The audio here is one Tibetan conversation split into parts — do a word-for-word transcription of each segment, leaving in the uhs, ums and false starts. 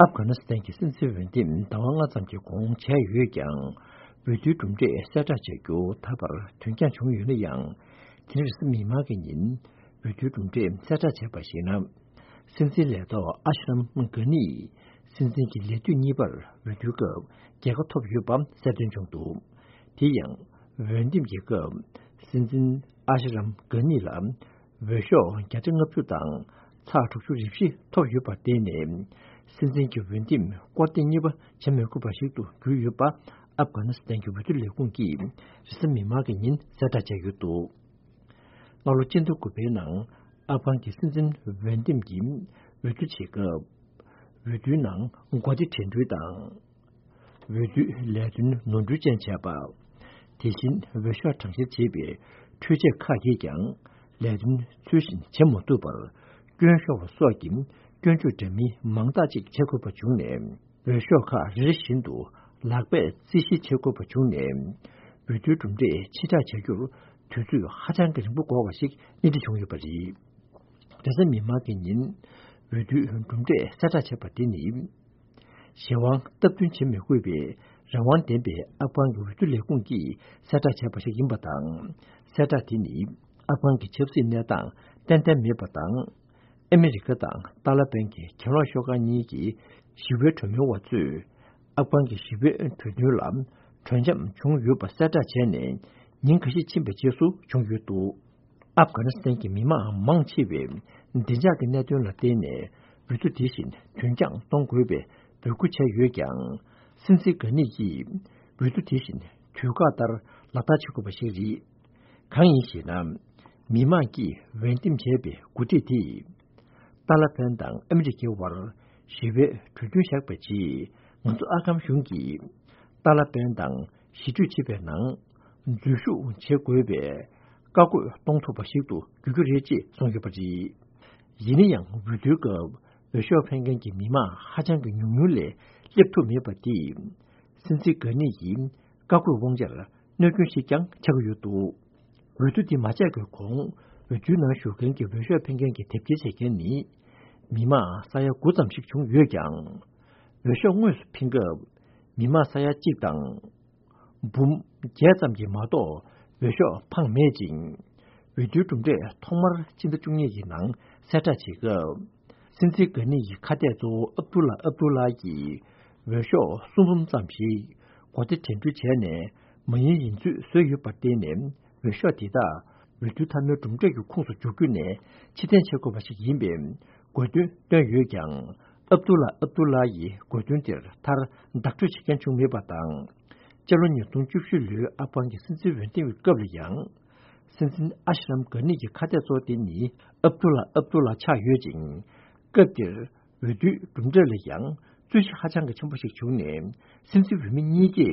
ཨབ་གྷ་ནི་སི་ཐན་གྱི་སྲིད་འཛིན་འོས་འདེམས་ཟླ་བ་ལྔ་ཙམ་གྱི་གོང་བྱས་ཡོད་ཀྱང་། འོས་བསྡུའི་གྲུབ་འབྲས་གསལ་བསྒྲགས་བྱ་རྒྱུ་ད་བར་དོན་རྐྱང་བྱུང་ཡོད་ན་ཡང་། དེ་རིང་རེས་གཟའ་མིག་དམར་གྱི་ཉིན་འོས་བསྡུའི་གྲུབ་འབྲས་གསལ་བསྒྲགས་བྱས་པར་གཞིགས་ན། སྲིད་འཛིན་ལས་ཐོག་ཨ་ཤི་རམ་གྷ་ནི་སྲིད་འཛིན་གྱི་ལས་དུས་གཉིས་པར་འོས་བསྡུའི་སྐབས་རྒྱལ་ཁ་ཐོབ་ཡོད་པ་གསལ་སྟོན་བྱུང་འདུག་དེ་ཡང་། འོས་འདེམས་ཀྱི་སྐབས་སྲིད་འཛིན་ཨ་ཤི་རམ་གྷ་ནི་ལ་འོས་ཤོག་བརྒྱ་ཆ་ལྔ་བཅུ་དང་ཚེག་དྲུག་ཅུ་རེ་བཞི་ཐོབ་ཡོད་པར་བརྟེན་ནས། སྲིད་འཛིན་གྱི་འོས་འདེམས་སྐོར་ཐེངས་གཉིས་པ་བྱེད་མི་དགོས་པ་ཞིག་ཏུ་གྱུར་ཡོད་པ་ཨབ་གྷ་ནི་སི་ཐན་གྱི་འོས་བསྡུ་ལས་ཁུངས་ཀྱིས་རེས་གཟའ་མིག་དམར་གྱི་ཉིན་གསལ་བསྒྲགས་བྱས་ཡོད་འདུག་སྔ་ལོ་སྤྱི་ཟླ་དགུ་པའི་ནང་ཨབ་གྷན་གྱི་སྲིད་འཛིན་འོས་འདེམས་ཀྱི་འོས་བསྡུ་བྱེད་སྐབས། འོས་བསྡུའི་ནང་འགོ་སྟེ་དྲན་འཕྲུལ་དང་། འོས་བསྡུའི་ལས་དོན་ནོར་འཁྲུལ་ཅན་བྱས་པ། དེ་བཞིན་འོས་ཤོག་གྲངས་བཤེར་བྱེད་པའི་འཕྲུལ་ཆས་ཁག་གིས་ཀྱང་ལས་དོན་ཚུལ་བཞིན་བྱེད་མ་ཐུབ་པར་སྐྱོན་ཤོར་བ་སོགས་ཀྱི་སྐྱོན་བརྗོད་འདྲ་མིན་མང་དག་ཅིག་བྱེད་དགོས་པ་བྱུང་ནས། འོས་ཤོག་ཁག་རེ་རེ་བཞིན་དུ་ལག་པས་རྩིས་ཞིབ་བྱེད་དགོས་པ་བྱུང་ནས། འོས་བསྡུའི་གྲུབ་འབྲས་ཕྱིར་བསྒྲགས་བྱ་རྒྱུར་དུས་ཚོད་ཧ་ཅང་གི་རིང་པོ་འགོར་བ་ཞིག་སྣེ་ཁྲིད་བྱུང་ཡོད་པ་རེད། རེས་གཟའ་མིག་དམར་གྱི་ཉིན་འོས་བསྡུའི་གྲུབ་འབྲས་གསལ་བསྒྲགས་བྱས་པ་དེ་ནི། གཞན་དབང་སྟབས་བསྟུན་བྱེད་མི་དགོས་པའི་རང་དབང་ལྡན་པའི་ཨབ་གྷན་གྱི་འོས་བསྡུ་ལས་ཁུངས་ཀྱིས་གསལ་བསྒྲགས་བྱས་པ་ཞིག་ཡིན་པ་དང་། གསལ་བསྒྲགས་དེ་ནི་ཨབ་གྷན་གྱི་ཆབ་སྲིད་གནས་སྟངས་ཏན་ཏན་མེད་པ་དང་། ཨ་མི་རི་ཀ་དང་ཏཱ་ལ་པན་གྱི་གྱེན་ལོག་ཤོག་ཁག་གཉིས་ཀྱི་ཞི་བའི་གྲོས་མོལ་བ་ཚོས་ཨབ་གྷན་གྱི་ཞི་བའི་གྲོས་མཐུན་ལ་གྲོས་འཆམ་བྱུང་ཡོད་པ་གསལ་བསྒྲགས་བྱས་ནས་ཉིན་འགའ་ཤས་ཕྱིན་པའི་རྗེས་སུ་བྱུང་ཡོད་འདུག་ཨབ་གྷ་ནི་སི་ཐན་གྱི་མི་མང་མང་ཆེ་བས་བདེ་འཇགས་ཀྱི་གནད་དོན་ལ་བརྟེན་ནས་འོས་བསྡུ་དེ་བཞིན་དུས་འགྱངས་གཏོང་དགོས་པའི་འབོད་སྐུལ་བྱས་ཡོད་ཀྱང་། སྲིད་འཛིན་གྷ་ནི་ཡིས་འོས་བསྡུ་དེ་བཞིན་དུས་བཀག་ལྟར་ལག་བསྟར་བྱེད་དགོས་པ་ཞིག་རེད། གང་ཡིན་ཞེ་ན། མི་མང་གིས་འོས་འདེམས་བྱས་པའི་འགོ་ཁྲིད་དེས། ཏཱ་ལ་པན་དང་ཨ་མི་རི་ཀའི་དབར་ཞི་བའི་གྲོས་མཐུན་བཞག་པའི་རྗེས། ང་ཚོ་ཨབ་གྷན་གཞུང་གིས་ཏཱ་ལ་པན་དང་ཞི་གྲོས་བྱེད་པའི་ནང་འཛུལ་ཞུགས་བྱེད་དགོས་པའི་བཀའ་བཀོད་གཏོང་ཐུབ་པ་ཞིག་ཏུ་འགྱུར་རྒྱུ་རེད་ཅེས་གསུངས་ཡོད་པ་རེད། ཡིན་ན་ཡང་འོས་བསྡུའི་སྐབས་འོས་ཤོག་འཕེན་མཁན་གྱི་མི་མང་ཧ་ཅང་གི་ཉུང་ཉུང་ལས་སླེབས་ཐུབ་མེད་པ་དེས། སྲིད་འཛིན་གྷ་ནི་ཡིས་བཀའ་བཀོད་དབང་ཆར་གནོད་སྐྱོན་ཞིག་ཀྱང་ཆགས་ཀྱི་ཡོད་འདུག་འོས་བསྡུ་འདི་མ་ཆགས་ཀྱི་གོང་འོས་བསྡུའི་ནང་ཞུགས་མཁན་གྱི་འོས་ཤོག་འཕེན་མཁན་གྱི་དེབ་སྐྱེལ་བྱེད་མཁན་ནི་མི་མང་ས་ཡ་དགུ་ཙམ་ཞིག་བྱུང་ཡོད་ཀྱང་། འོས་ཤོག་དངོས་སུ་འཕེན་སྐབས་མི་མང་ས་ཡ་གཅིག་དང་འབུམ་བརྒྱད་ཙམ་གྱིས་མ་གཏོགས་འོས་ཤོག་འཕངས་མེད་ཅིང་། འོས་བསྡུའི་གྲུབ་འབྲས་ཐོག་མར་སྤྱི་ཟླ་བཅུ་གཉིས་ཀྱི་ནང་གསལ་བསྒྲགས་བྱེད་སྐབས། སྲིད་འཛིན་གྷ་ནི་ཡི་ཁ་གཏད་གཙོ་བོ་ཨབ་དུ་ལ་ཨབ་དུ་ལ་གྱིས་འོས་ཤོག་གསུམ་འབུམ་ཙམ་ཞིག་མགོ་སྟེ་འགྲན་བསྡུར་བྱས་ནས་མ་ཡིན་ཡིན་ཚུལ་བཟོས་ཡོད་པར་བརྟེན་ནས། འོས་ཤོག་དེ་དག་འོས་བསྡུ་མཐའ་མའི་གྲུབ་འབྲས་ཀྱི་ཁོངས་སུ་འཇོག་རྒྱུ་ནས་ཕྱིར་འཐེན་བྱེད་དགོས་པ་ཞིག་ཡིན་པའི་དགོས་འདུན་བཏོན་ཡོད་ཀྱང་། ཨབ་དུ་ལ་ཨབ་དུ་ལ་ཡི་དགོས་འདུན་དེར་མཐར་བདག་སྤྲོད་བྱེད་མཁན་བྱུང་མེད་པ་དང་། སྤྱི་ལོ་ཉིས་སྟོང་བཅུ་བཞི་ལོའི་ཨབ་གྷན་གྱི་སྲིད་འཛིན་འོས་བསྡུ་བའི་སྐབས་ལ་ཡང་། སྲིད་འཛིན་ཨ་ཤི་རམ་གྷ་ནི་ཡི་ཁ་གཏད་གཙོ་བོ་དེ་ནི་ཨབ་དུ་ལ་ཨབ་དུ་ལ་ཆགས་ཡོད་ཅིང་། སྐབས་དེར་འོས་བསྡུའི་གྲུབ་འབྲས་ལ་ཡང་རྩོད་གཞི་ཧ་ཅང་གི་ཆེན་པོ་ཞིག་བྱུང་ནས། སྲིད་འཛིན་འོས་མི་གཉིས་ཀས་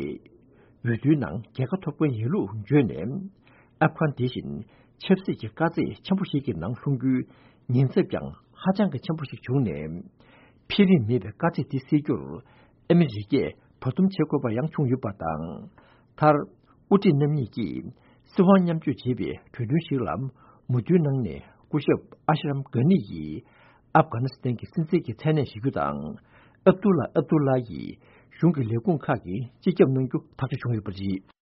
འོས་བསྡུའི་ནང་རྒྱལ་ཁ་ཐོབ་མཁན་ཡིན་ལུགས་བརྗོད་ནས། ཨབ་གྷན་དེ་བཞིན་ཆབ་སྲིད་ཀྱི་དཀའ་ཚེགས་ཆེན་པོ་ཞིག་གི་ནང་ལྷུང་རྒྱུའི་ཉེན་ཚབས་ཀྱང་ཧ་ཅང་གི་ཆེན་པོ་ཞིག་བྱུང་ནས། འཕེལ་རིམ་མེད་པའི་དཀའ་ཚེགས་དེ་སེལ་རྒྱུར་ཨ་མི་རི་ཀས་བར་འདུམ་བྱེད་དགོས་པ་ཡང་བྱུང་ཡོད་པ་དང་། མཐར། དབུ་ཁྲིད་རྣམ་གཉིས་ཀྱིས་སྲིད་དབང་མཉམ་སྤྱོད་བྱེད་པའི་གྲོས་མཐུན་ཞིག་ལ་མོས་མཐུན་གནང་ནས། སྐུ་ཞབས་ཨ་ཤི་རམ་གྷ་ནི་ཡིས་ཨབ་གྷ་ནི་སི་ཐན་གྱི་སྲིད་འཛིན་གྱི་མཚན་གནས་བཞེས་རྒྱུ་དང་། ཨབ་དུ་ལ་ཨབ་དུ་ལ་ཡིས་གཞུང་གི་ལས་ཁུངས་ཁག་གི་སྤྱི་ཁྱབ་གནང་རྒྱུ་ཐག་གཅོད་བྱུང་ཡོད་པ་རེད།